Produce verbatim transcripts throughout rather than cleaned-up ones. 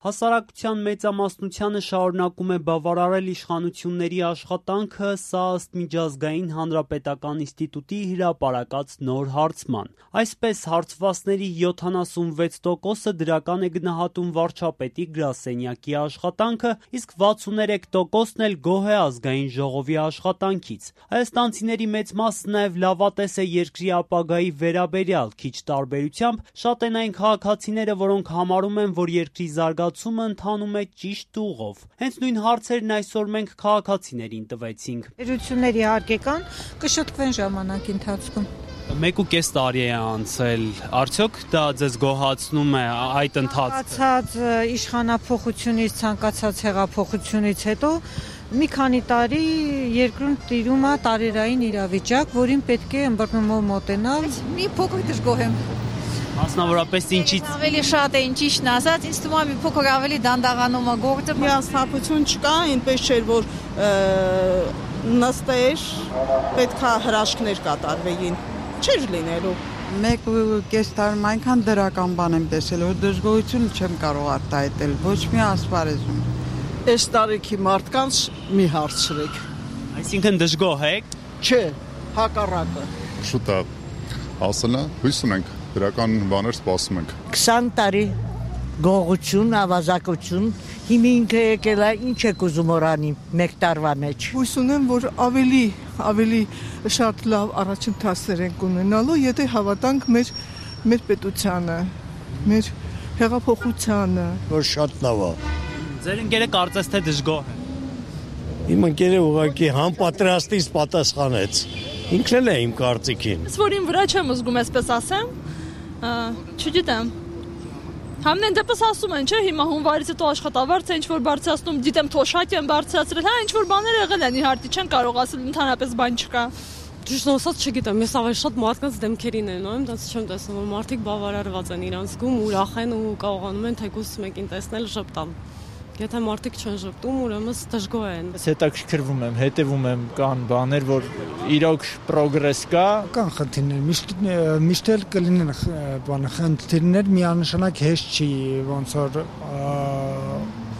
Հասարակության մեծամասնությանը շարունակում է բավարարել իշխանությունների աշխատանքը, սա ըստ միջազգային հանրապետական ինստիտուտի հրապարակած նոր հարցման։ Այսպես հարցվածների յոթանասունվեց տոկոսը դրական է գնահատում վարչապետի գրասենյակի աշխատանքը, իսկ վաթսուներեք տոկոսն էլ գոհ է ազգային ժողովի աշխատանքից։ Հայաստանցիների մեծ մասը նաև լավատես է երկրի ապագայի վերաբերյալ, քիչ տարբերությամբ շատ են այն քաղաքացիները, որոնք համարում են, որ երկրի զարգացումը ընթանում է ճիշտ ուղով։ Հենց նույն հարցերն այսօր մենք քաղաքացիներին տվեցինք։ Ընկերությունների հարկեկան կշտկվեն ժամանակի ընթացքում։ Մեկ ու կես տարի է անցել, արդյոք դա ձեզ գոհացնում է այդ ընթացքը։ Ցանկացած իշխանափոխությունից, ցանկացած հեղափոխությունից հետո մի քանի տարի երկրում տիրում է տարերային իրավիճակ, որին պետք է ըմբռնումով մոտենալ։ Մի փոքր դժգոհ եմ։ Մասնավորապես ինչից ավելի շատ է ինչիշն ասած, ինձ թվում է մի փոքր ավելի դանդաղանում է գործը։ Միասնապություն չկա, այնպես չէր, որ նստեր, պետքա հրաշքներ կատարվեին, չէր լինելու։ Մեկ ու կես տարում այնքան դրական բան եմ տեսել, որ դժգոհություն չեմ կարող արտահայտել, ոչ մի ասպարեզում։ Այս տարիքի մարդկանց մի հարցրեք։ Այսինքն դժգոհ եք։ Չէ, հակառակը։ Շուտ է, ասելա, հույս ունենք, դրական բաներ սպասում ենք։ քսան տարի գողություն, ավազակություն, հիմա ինքը եկել է, ինչ եք ուզում օրանի մեկ տարվա մեջ։ Հույս ունեմ, որ ավելի, ավելի շատ լավ առաջընթացներ ենք ունենալու, եթե հավատանք մեր, մեր պետությանը, մեր հեղափոխությանը։ Որ շատ լավ է։ Ձեր ընկերը կարծես թե դժգոհ է։ Իմ ընկերը ուղղակի համապատրաստից պատասխանեց։ Ինքն էլ է իմ կարծիքին։ Ես որ իմ վրա չեմ զգում, այսպես ասեմ, չգիտեմ։ Համեն դեպս ասում են, չէ, հիմա հունվարից հետո աշխատավարձ է ինչ-որ բարձրացնում, դիտեմ թոշակ են բարձրացրել, հա, ինչ-որ բաներ եղել են, իհարկե չեն կարող ասել, ընդհանրապես բան չկա։ Ճիշտ ասած չգիտեմ, ես ավելի շատ մարդկանց դեմքերին եմ նայում, դա չեմ տեսնում, որ մարդիկ բավարարված են իրանց զգում, ուրախ են ու կարողանում են թեկուզ մեկին տեսնել ժպտալ։ Եթե մարդիկ չեն ժպտում, ուրեմն դժգոհ են։ Ես հետաքրքրվում եմ, հետևում եմ, կան բաներ, որ իրոք պրոգրես կա, կան խնդիրներ, միշտ միշտ էլ կլինեն բանը խնդիրներ, միանշանակ հեշտ չի, ոնց որ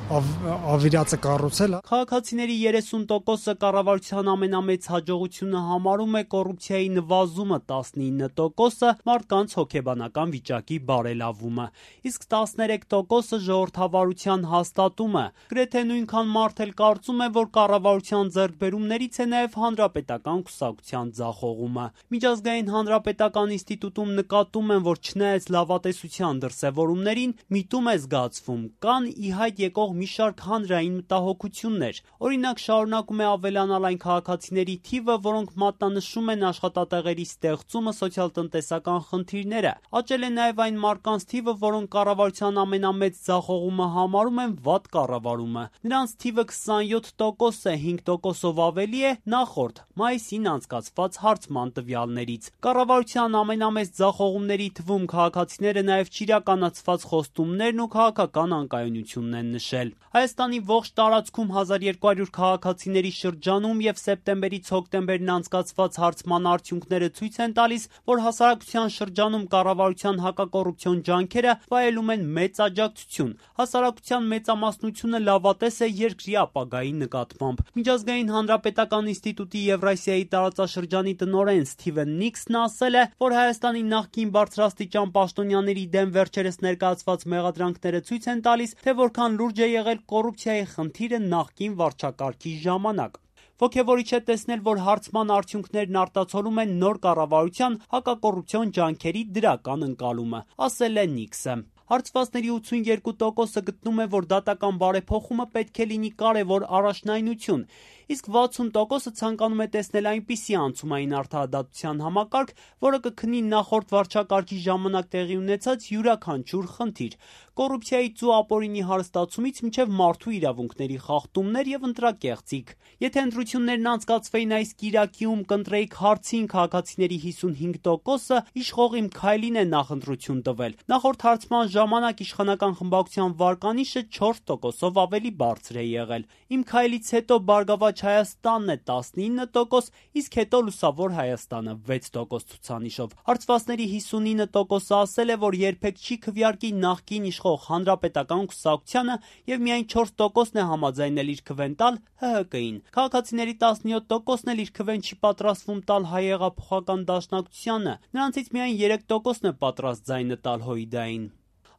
ավիրացը կառուցել։ Քաղաքացիների երեսուն տոկոսը կառավարության ամենամեծ հաջողությունը համարում է կոռուպցիայի նվազումը, տասնինը տոկոսը մարդկանց հոգեբանական վիճակի բարելավումը, իսկ տասներեք տոկոսը ժողովրդավարության հաստատումը։ Գրեթե նույնքան մարդ էլ կարծում է, որ կառավարության ձեռքբերումներից է նաև հանրապետական կուսակցության ձախողումը։ Միջազգային հանրապետական ինստիտուտում նկատում են, որ չնայած լավատեսության դրսևորումներին, միտում է զգացվում, կան ի հայտ եկող մի շարք հանրային մտահոգություններ։ Օրինակ շարունակում է ավելանալ այն քաղաքացիների թիվը, որոնք մատնանշում են աշխատատեղերի ստեղծումը, սոցիալ-տնտեսական խնդիրները։ Աճել է նաև այն մարդկանց թիվը, որոնք կառավարության ամենամեծ ձախողումը համարում են վատ կառավարումը։ Նրանց թիվը քսանյոթ տոկոս է, հինգ տոկոսով ավելի է նախորդ մայիսին անցկացված հարցման տվյալներից։ Կառավարության ամենամեծ ձախողումների թվում քաղաքացիները նաև չիրականացված խոստումներն ու քաղաքական անկայունությունն են նշել։ Հայաստանի ողջ տարածքում հազար երկու հարյուր քաղաքացիների շրջանում եւ սեպտեմբերից հոկտեմբերին անցկացված հարցման արդյունքները ցույց են տալիս, որ հասարակության շրջանում կառավարության հակակոռուպցիոն ջանքերը վայելում են մեծ աջակցություն։ Հասարակության մեծամասնությունը լավատես է երկրի ապագայի նկատմամբ։ Միջազգային հանրապետական ինստիտուտի Եվրասիայի տարածաշրջանի տնօրեն Սթիվեն Նիքսն ասել է, որ Հայաստանի նախկին բարձրաստիճան պաշտոնյաների դեմ վերջերս ներկայացված մեղադրանքները ցույց են տալիս, թե որքան լուրջ է եղել կոռուպցիայի խնդիրը նախկին վարչակարգի ժամանակ։ Ոգևորիչ է տեսնել, որ հարցման արդյունքներն արտացոլում են նոր կառավարության հակակոռուպցիոն ջանքերի դրական ընկալումը, ասել է Նիքսը։ Հարցվածների ութսունյոթ տոկոսը գտնում է, որ դատական բարեփոխումը պետք է լինի կարևոր առաջնայնություն, իսկ վաթսուն տոկոսը ցանկանում է տեսնել այնպիսի անցումային արդարադատության համակարգ, որը կքնի նախորդ վարչակարգի ժամանակ տեղի ունեցած յուրաքանչյուր խնդիր, կոռուպցիայից ու ապօրինի հարստացումից մինչև մարդու իրավունքների խախտումներ եւ ընտրակեղծիք։ Եթե ընտրություններն անցկացվեին այս կիրակիում, կընտրեիք հարցին քաղաքացիների հիսունհինգ տոկոսը իշխող Իմ Քայլին է նախընտրություն տվել։ Նախորդ հարցման ժամանակ իշխանական խմբակցության վարկանիշը չորս տոկոսով ավելի բարձր է եղել։ Իմ Քայլից հետո Բարգավաճ առաջ Հայաստանն է տասնինը տոկոս, իսկ հետո Լուսավոր Հայաստանը վեց տոկոս ցուցանիշով։ Հարցվածների հիսունինը տոկոսը ասել է, որ երբեք չի քվեարկի նախկին իշխող Հանրապետական կուսակցությանը եւ միայն չորս տոկոսն է համաձայնել իր քվեն տալ Հ Հ Կ-ին։ Քաղաքացիների տասնյոթ տոկոսն էլ իր քվեն չի պատրաստվում տալ Հայեղափոխական դաշնակցությանը, նրանցից միայն երեք տոկոսն է պատրաստ ձայնը տալ Հույդային։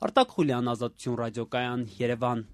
Արտակ Խուլյան, Ազատություն ռադիոկայան, Երևան։